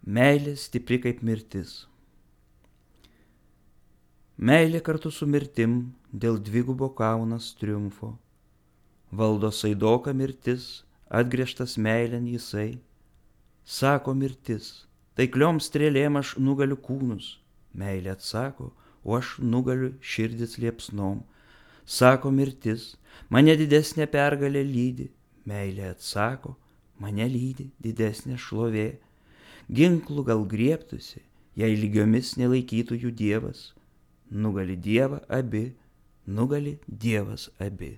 Meilė stipri kaip mirtis. Meilė kartu su mirtim dėl dvigubo kaunas triumfo. Valdo saidoka mirtis, atgręžtas meilėn jisai. Sako mirtis, taikliom strėlėm aš nugaliu kūnus. Meilė atsako, o aš nugaliu širdis liepsnom. Sako mirtis, mane didesnė pergalė lydi. Meilė atsako, mane lydi didesnė šlovė. Ginklų gal griebtųsi, jei lygiomis nelaikytų jų Dievas. Nugali Dievą abi, nugali Dievas abi.